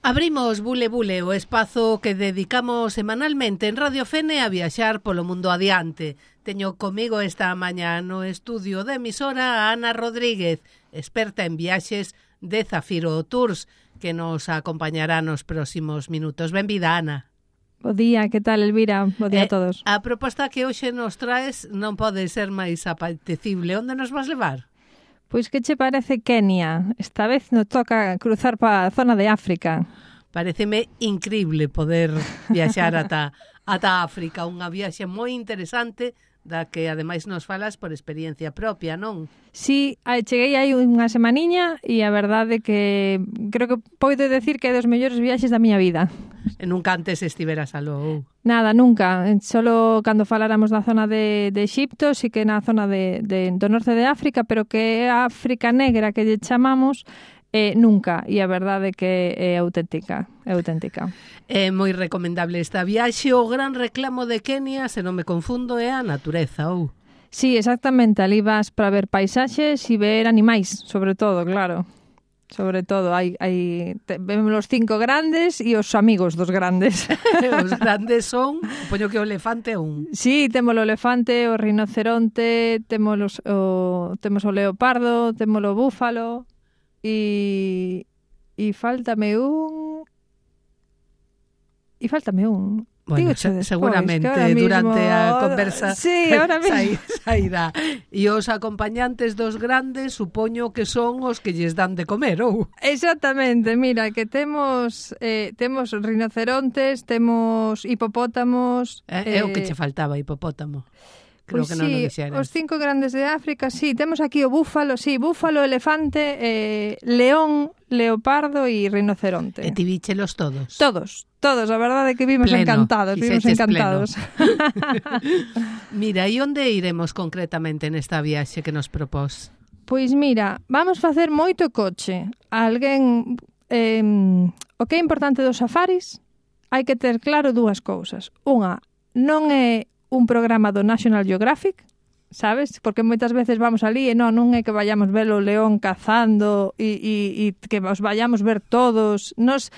Abrimos Bule Bule, o espazo que dedicamos semanalmente en Radio Fene a viaxar polo mundo adiante. Teño comigo esta mañá no estudio de emisora a Ana Rodríguez, experta en viaxes de Zafiro Tours, que nos acompañará nos próximos minutos. Benvida, Ana. Bo día, que tal, Elvira? Bo día a todos. A proposta que hoxe nos traes non pode ser máis apetecible. Onde nos vas levar? Pois que che parece Kenia? Esta vez nos toca cruzar para a zona de África. Pareceme increíble poder viaxar ata África, unha viaxe moi interesante da que ademais nos falas por experiencia propia, non? Sí, cheguei aí unha semaniña e a verdade que creo que podo decir que é dos mellores viaxes da miña vida. E nunca antes estiveras aló? Nada, nunca. Solo cando faláramos da zona de Exipto, sí que na zona do norte de África, pero que é a África negra que lle chamamos, nunca. E a verdade que é auténtica. É moi recomendable esta viaxe. O gran reclamo de Kenia, se non me confundo, é a natureza, ou? Sí, exactamente. Ali vas para ver paisaxes e ver animais, sobre todo, claro. Sobre todo, vemos os 5 grandes e os amigos dos grandes. Os grandes son, poño que o elefante é un. Sí, temos o elefante, o rinoceronte, temos o leopardo, temos o búfalo e faltame un. Bueno, despois, seguramente durante a conversa sí, ahora mesmo sairá. E os acompañantes dos grandes supoño que son os que lles dan de comer, ou? Exactamente, mira, que temos rinocerontes, temos hipopótamos. É o que che faltaba, hipopótamo. Creo pois que non sí, o dixeras. Os 5 grandes de África, sí, temos aquí o búfalo, elefante, león, leopardo e rinoceronte. E ti víchelos todos? Todos, a verdade é que vimos encantados. Mira, e onde iremos concretamente nesta viaxe que nos propós? Pois mira, vamos facer moito coche. O que é importante dos safaris, hai que ter claro dúas cousas. Unha, non é un programa do National Geographic, sabes? Porque moitas veces vamos ali e non é que vayamos ver o león cazando e que os vayamos ver todos. Nos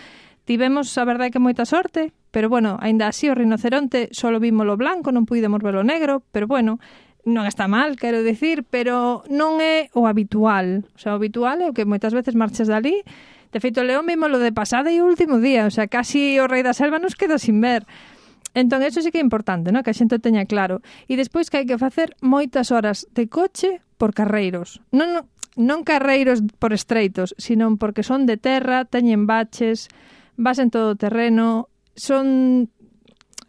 tivemos, a verdade, que moita sorte, pero bueno, aínda así o rinoceronte solo vimos o blanco, non pudemos ver o negro, pero bueno, non está mal, quero dicir, pero non é o habitual. O sea, o habitual é o que moitas veces marches dali. De feito, o león vimos lo de pasada e o último día, o sea, casi o rei da selva nos queda sin ver. Entón, eso sí que é importante, ¿no? Que a xente teña claro. E despois que hai que facer moitas horas de coche por carreiros. Non carreiros por estreitos, sino porque son de terra, teñen baches, vas en todo terreno, son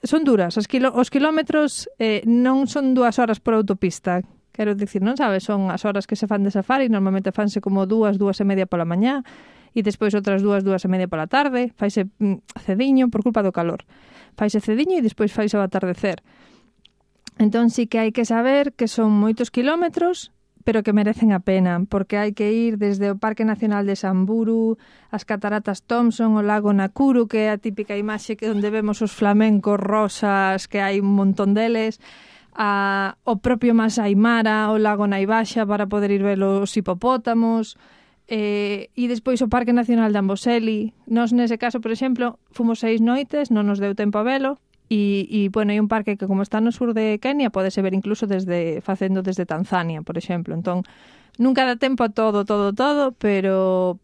duras. Os kilómetros non son 2 horas por autopista. Quero dicir, non sabes, son as horas que se fan de safari, normalmente fanse como 2 e media pola mañá, e despois outras 2 e media pola tarde, faise cediño por culpa do calor. Faise cediño e despois faise ao atardecer. Entón sí que hai que saber que son moitos kilómetros, pero que merecen a pena, porque hai que ir desde o Parque Nacional de Samburu, as Cataratas Thompson, o lago Nakuru, que é a típica imaxe que onde vemos os flamencos rosas, que hai un montón deles, o propio Masai Mara, o lago Naivasha, para poder ir ver os hipopótamos, e despois o Parque Nacional de Amboseli. Nós nese caso, por exemplo, fomos 6 noites, non nos deu tempo a velo, e bueno, hai un parque que como está no sur de Kenia podese ver incluso facendo desde Tanzania, por exemplo. Entón, nunca dá tempo a todo, pero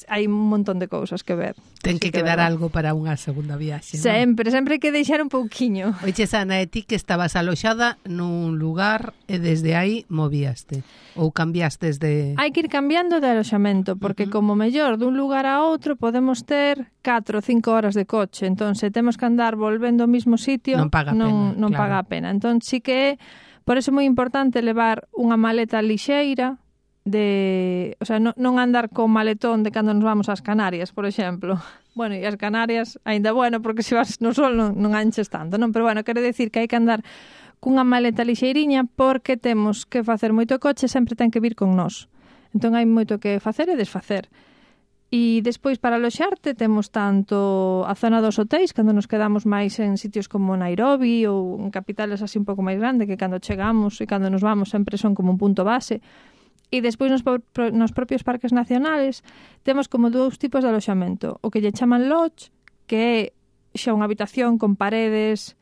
hai un montón de cousas que ver. Ten que quedar algo para unha segunda viaxe, non? Sempre hai que deixar un pouquiño. Oiche, Ana, e ti que estabas aloxada nun lugar e desde aí movíaste? Ou cambiastes de... Hai que ir cambiando de aloxamento, porque como mellor dun lugar a outro podemos ter 4 ou 5 horas de coche. Entón, se temos que andar volvendo ao mesmo sitio, non paga a pena. Entón, sí que é, por eso é moi importante levar unha maleta lixeira, o sea, non andar con maletón de cando nos vamos ás Canarias, por exemplo. Bueno, e as Canarias, aínda bueno, porque se vas no sol non anches tanto, non? Pero bueno, quero decir que hai que andar cunha maleta lixeiriña porque temos que facer moito coche, sempre ten que vir con nós. Entón hai moito que facer e desfacer. E despois para aloxarte temos tanto a zona dos hotéis, cando nos quedamos máis en sitios como Nairobi ou en capitales así un pouco máis grande, que cando chegamos e cando nos vamos sempre son como un punto base. E despois nos propios parques nacionales temos como dous tipos de aloxamento. O que lle chaman lodge, que é xa unha habitación con paredes,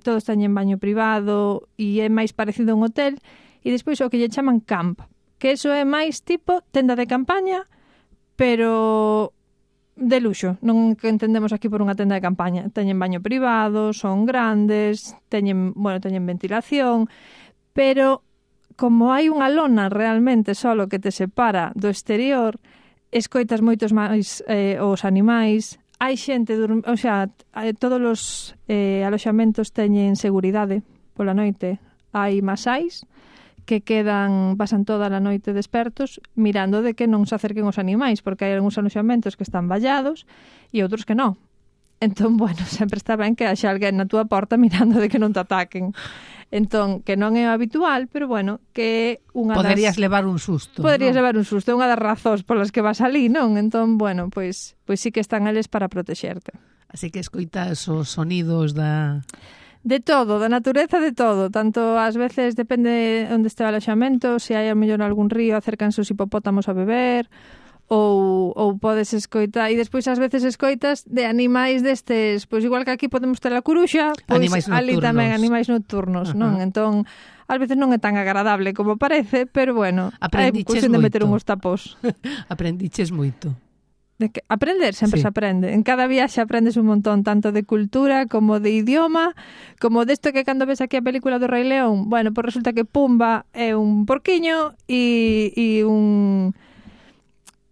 todos teñen baño privado e é máis parecido a un hotel. E despois o que lle chaman camp, que eso é máis tipo tenda de campaña, pero de luxo. Non que entendemos aquí por unha tenda de campaña. Teñen baño privado, son grandes, teñen ventilación, pero como hai unha lona realmente solo que te separa do exterior, escoitas moitos máis os animais, hai xente, todos os aloxamentos teñen seguridade pola noite. Hai masais que pasan toda a noite despertos mirando de que non se acerquen os animais, porque hai algúns aloxamentos que están vallados e outros que non. Entón, sempre está ben que haxa alguén na túa porta mirando de que non te ataquen. Entón, que non é o habitual, pero que unha Poderías levar un susto. Poderías levar un susto, é unha das razóns polas que vas alí, non? Entón, pois sí que están eles para protexerte. Así que escoitas os sonidos da... De todo, da natureza, de todo. Tanto ás veces depende onde este o aloxamento, se hai a mellor algún río, acércanse os hipopótamos a beber, ou podes escoitar, e despois ás veces escoitas de animais destes, pois igual que aquí podemos ter a curuxa, pois ali tamén animais nocturnos, non? Entón, ás veces non é tan agradable como parece, pero hai cuestión de meter unhos tapós. Aprendiches moito. Aprender sempre se aprende. En cada viaxe aprendes un montón, tanto de cultura como de idioma, como desto que cando ves aquí a película do Rei León, pois resulta que Pumba é un porquiño e un...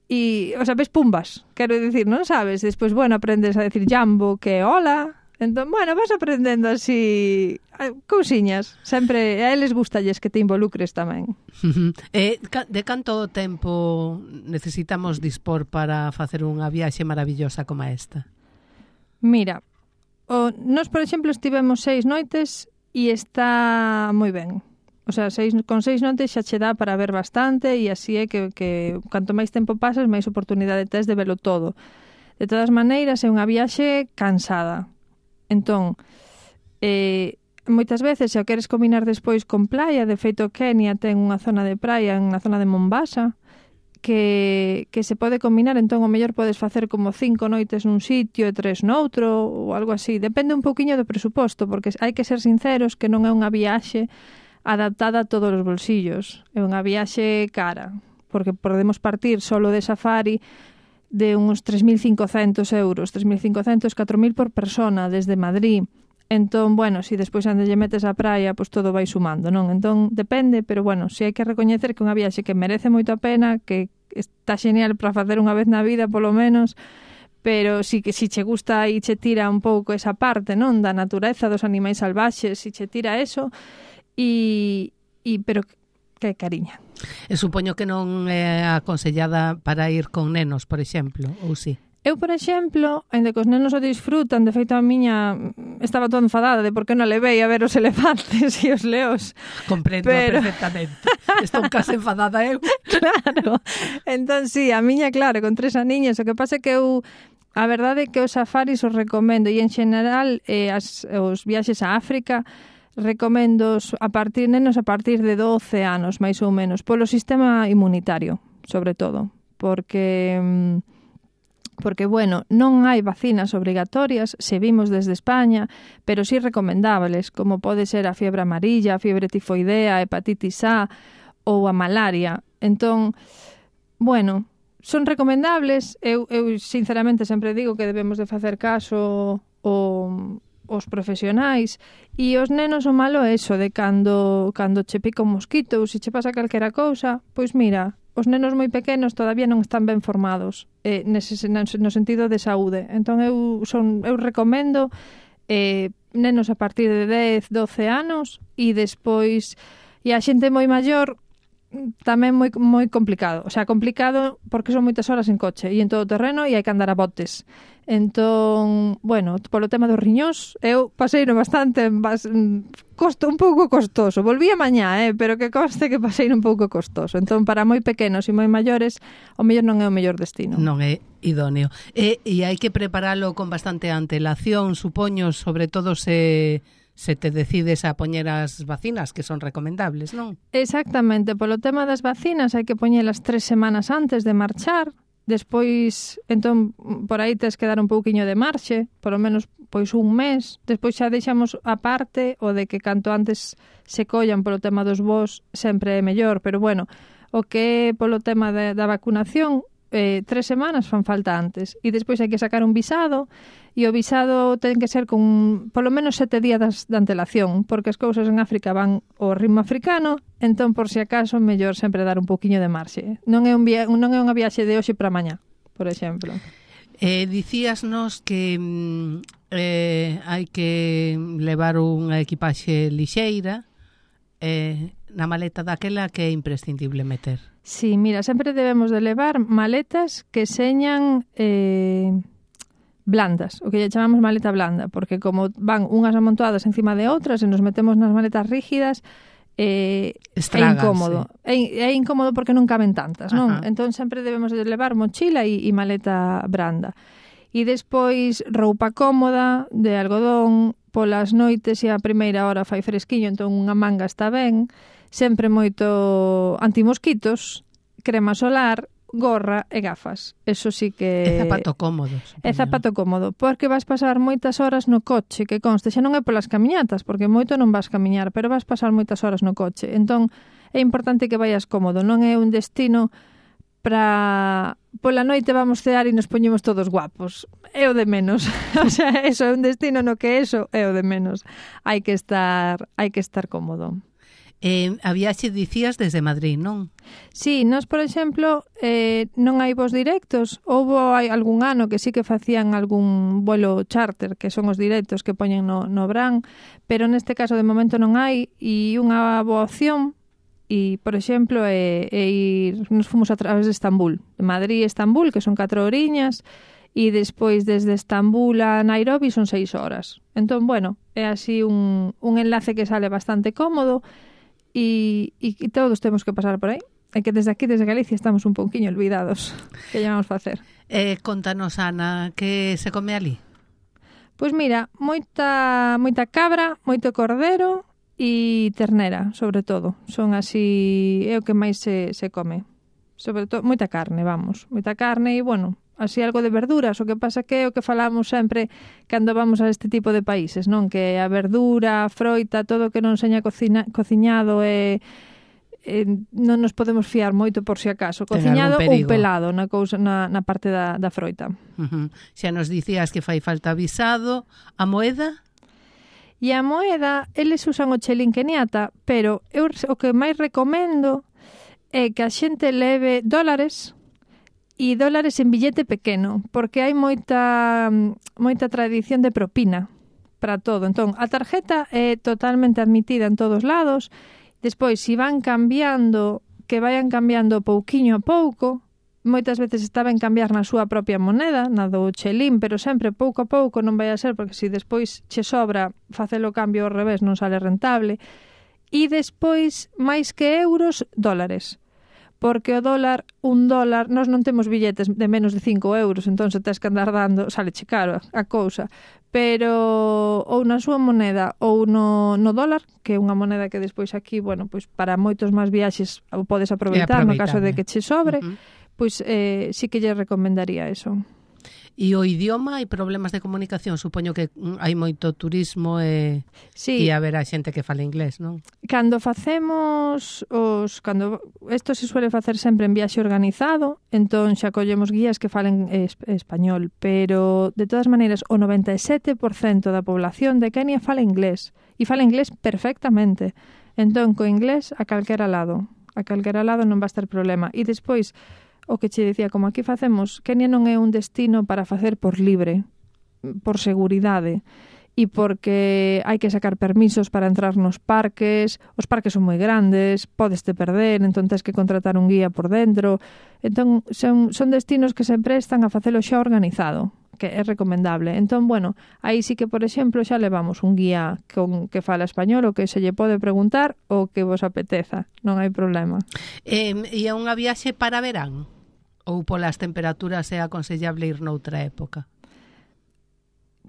ves pumbas, quero dicir, non sabes? Despois, aprendes a decir jambo, que é hola. Entón, vas aprendendo así cousiñas. Sempre a eles gustalles que te involucres tamén. De canto tempo necesitamos dispor para facer unha viaxe maravillosa como esta? Mira, nós, por exemplo, estivemos 6 noites e está moi ben. Con 6 noites xa che dá para ver bastante e así é que canto máis tempo pasas, máis oportunidade tes de velo todo. De todas maneiras, é unha viaxe cansada. Entón, moitas veces, se o queres combinar despois con praia, de feito Kenia ten unha zona de praia, na zona de Mombasa, que se pode combinar, entón o mellor podes facer como 5 noites nun sitio e 3 noutro, ou algo así. Depende un pouquiño do presuposto, porque hai que ser sinceros que non é unha viaxe adaptada a todos os bolsillos. É unha viaxe cara, porque podemos partir solo de safari de uns 3.500 euros, 3.500, 4.000 por persona desde Madrid. Entón, si despois ande lle metes a praia, pois todo vai sumando, non? Entón, depende, pero si hai que recoñecer que é unha viaxe que merece moito a pena, que está xenial para facer unha vez na vida, polo menos, pero sí que si che gusta e che tira un pouco esa parte, non? Da natureza, dos animais salvaxes, si che tira eso, pero que cariña. E supoño que non é aconsellada para ir con nenos, por exemplo, ou si? Eu, por exemplo, ainda que os nenos o disfrutan, de feito a miña estaba toda enfadada de por que non levei a ver os elefantes e os leos. Comprendo perfectamente. Estou case enfadada eu. Claro. Entón, sí, a miña, claro, con 3 aniños, o que pasa é que a verdade é que os safaris os recomendo e en xeral os viaxes a África recomendo nenos a partir de 12 anos, máis ou menos, polo sistema inmunitario, sobre todo, porque non hai vacinas obrigatorias, se vimos desde España, pero sí recomendables, como pode ser a fiebre amarilla, a fiebre tifoidea, a hepatitis A ou a malaria. Entón, son recomendables. Eu sinceramente sempre digo que debemos de facer caso os profesionais, e os nenos o malo é eso, de cando che pica un mosquito ou se che pasa calquera cousa, pois mira, os nenos moi pequenos todavía non están ben formados no sentido de saúde. Entón eu recomendo nenos a partir de 10, 12 anos e despois, e a xente moi maior tamén moi complicado. O sea, complicado porque son moitas horas en coche e en todo terreno e hai que andar a botes. Entón, polo tema dos riñóns, eu paseino bastante, un pouco costoso. Volví a mañá, pero que conste que paseino un pouco costoso. Entón, para moi pequenos e moi maiores, o mellor non é o mellor destino. Non é idóneo. E hai que preparalo con bastante antelación, supoño, sobre todo se se te decides a poñer as vacinas, que son recomendables, non? Exactamente, polo tema das vacinas hai que poñelas 3 semanas antes de marchar, despois, entón, por aí tes que dar un pouquiño de marxe, polo menos pois un mes, despois xa deixamos aparte o de que canto antes se collan polo tema dos voos sempre é mellor, pero bueno, o que é polo tema da vacunación, 3 semanas fan falta antes e despois hai que sacar un visado e o visado ten que ser con polo menos 7 días de antelación porque as cousas en África van ao ritmo africano, entón por si acaso mellor sempre dar un pouquiño de marxe. Non é unha viaxe de hoxe para mañá, por exemplo. Dicíasnos que hai que levar unha equipaxe lixeira na maleta daquela que é imprescindible meter. Sí, mira, sempre debemos de levar maletas que señan blandas, o que lle chamamos maleta blanda, porque como van unhas amontoadas encima de outras e nos metemos nas maletas rígidas, é incómodo. É incómodo porque non caben tantas, non? Entón sempre debemos de levar mochila e maleta branda. E despois roupa cómoda, de algodón, polas noites e a primeira hora fai fresquiño, entón unha manga está ben, sempre moito antimosquitos, crema solar, gorra e gafas. Eso sí que... É zapato cómodo. É zapato cómodo, porque vas pasar moitas horas no coche, que conste, xa non é polas camiñatas, porque moito non vas camiñar, pero vas pasar moitas horas no coche. Entón, é importante que vayas cómodo, non é un destino para... Pola noite vamos cear e nos poñemos todos guapos. É o de menos. O sea, eso é un destino no que eso é o de menos. Hai que estar cómodo. A viaxe dicías desde Madrid, non? Sí, nós, por exemplo, non hai voos directos. Hai algún ano que sí que facían algún vuelo charter, que son os directos que poñen no Bran, pero neste caso de momento non hai, e unha boa opción, e, por exemplo, nos fomos a través de Estambul, de Madrid a Estambul, que son 4 horiñas, e despois desde Estambul a Nairobi son 6 horas. Entón, bueno, é así un enlace que sale bastante cómodo, e todos temos que pasar por aí. É que desde aquí, desde Galicia, estamos un pouquiño olvidados. Que lle vamos facer? Contanos, Ana, que se come ali? Pois mira, moita cabra, moito cordero e ternera, sobre todo. Son así, é o que máis se come. Sobre todo, moita carne, vamos. Moita carne e, bueno, así algo de verduras. O que pasa que é o que falamos sempre cando vamos a este tipo de países, non? Que a verdura, a froita, todo o que non seña cociñado non nos podemos fiar moito por si acaso. Cociñado ou pelado na parte da froita. Xa nos dicías que fai falta visado. A moeda? E a moeda, eles usan o chelín keniata, pero eu o que máis recomendo é que a xente leve dólares e dólares en billete pequeno, porque hai moita tradición de propina para todo. Entón, a tarjeta é totalmente admitida en todos lados. Despois, se van cambiando, que vayan cambiando pouquiño a pouco, moitas veces está ben cambiar na súa propia moneda, na do chelín, pero sempre pouco a pouco, non vai a ser, porque se despois che sobra facelo cambio ao revés non sale rentable. E despois, máis que euros, dólares. Porque o dólar, $1, nós non temos billetes de menos de 5 euros, entón se tes que andar dando, sale che caro a cousa. Pero ou na súa moneda ou no dólar, que é unha moneda que despois aquí, bueno, pois para moitos máis viaxes podes aproveitar no caso de que che sobre, pois sí que lle recomendaría eso. E o idioma, hai problemas de comunicación? Supoño que hai moito turismo e haberá xente que fala inglés, non? Cando facemos isto se suele facer sempre en viaxe organizado, entón xa collemos guías que falen español, pero de todas maneiras o 97% da población de Kenia fala inglés, e fala inglés perfectamente. Entón, co inglés a calquera lado non va a estar problema. E despois, o que che dicía, como aquí facemos, Kenia non é un destino para facer por libre, por seguridade, e porque hai que sacar permisos para entrar nos parques, os parques son moi grandes, podes te perder, entón tens que contratar un guía por dentro. Entón, son destinos que se prestan a facelo xa organizado, que é recomendable. Entón, bueno, aí sí que, por exemplo, xa levamos un guía que fala español, o que se lle pode preguntar o que vos apeteza, non hai problema. E é unha viaxe para verán? Ou polas temperaturas é aconsellable ir noutra época?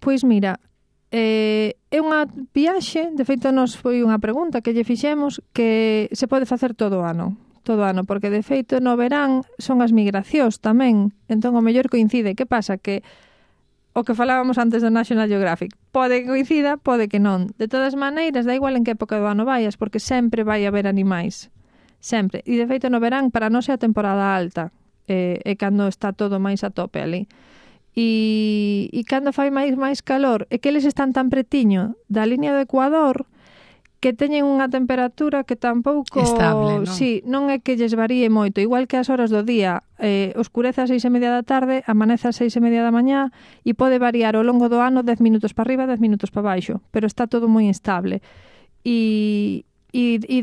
Pois mira, É unha viaxe, de feito nos foi unha pregunta que lle fixemos, que se pode facer todo o ano, porque de feito no verán son as migracións tamén, entón o mellor coincide. Que pasa? Que o que falábamos antes do National Geographic, pode que coincida, pode que non. De todas maneiras, da igual en que época do ano vayas, porque sempre vai haber animais, sempre. E de feito no verán para nós é a temporada alta, é cando está todo máis a tope ali. E cando fai máis calor, é que eles están tan pretiño da línea do Ecuador que teñen unha temperatura que tampouco... Estable, non? Sí, non é que lles varíe moito. Igual que as horas do día, oscurece a 6:30 da tarde, amanece a 6:30 da mañá, e pode variar ao longo do ano 10 minutos para arriba, 10 minutos para baixo, pero está todo moi estable. E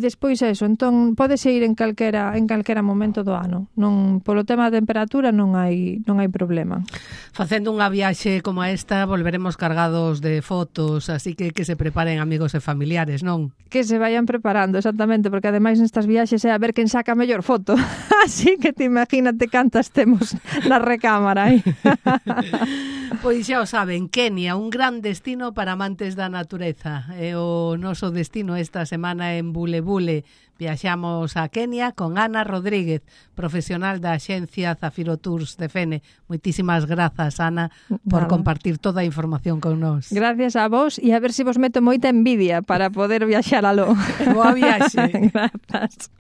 despois eso, entón podese ir en calquera momento do ano. Non, polo tema da temperatura non hai problema. Facendo unha viaxe como esta volveremos cargados de fotos, así que se preparen amigos e familiares, non? Que se vayan preparando, exactamente, porque ademais nestas viaxes é a ver quen saca a mellor foto. Así que te imagínate cantas temos na recámara aí. Pois xa o saben, Kenia, un gran destino para amantes da natureza. É o noso destino esta semana en Bule Bule. Viaxamos a Kenia con Ana Rodríguez, profesional da axencia Zafiro Tours de Fene. Moitísimas grazas, Ana, por compartir toda a información con nós. Gracias a vos, e a ver se vos meto moita envidia para poder viaxar aló. Boa viaxe. Grazas.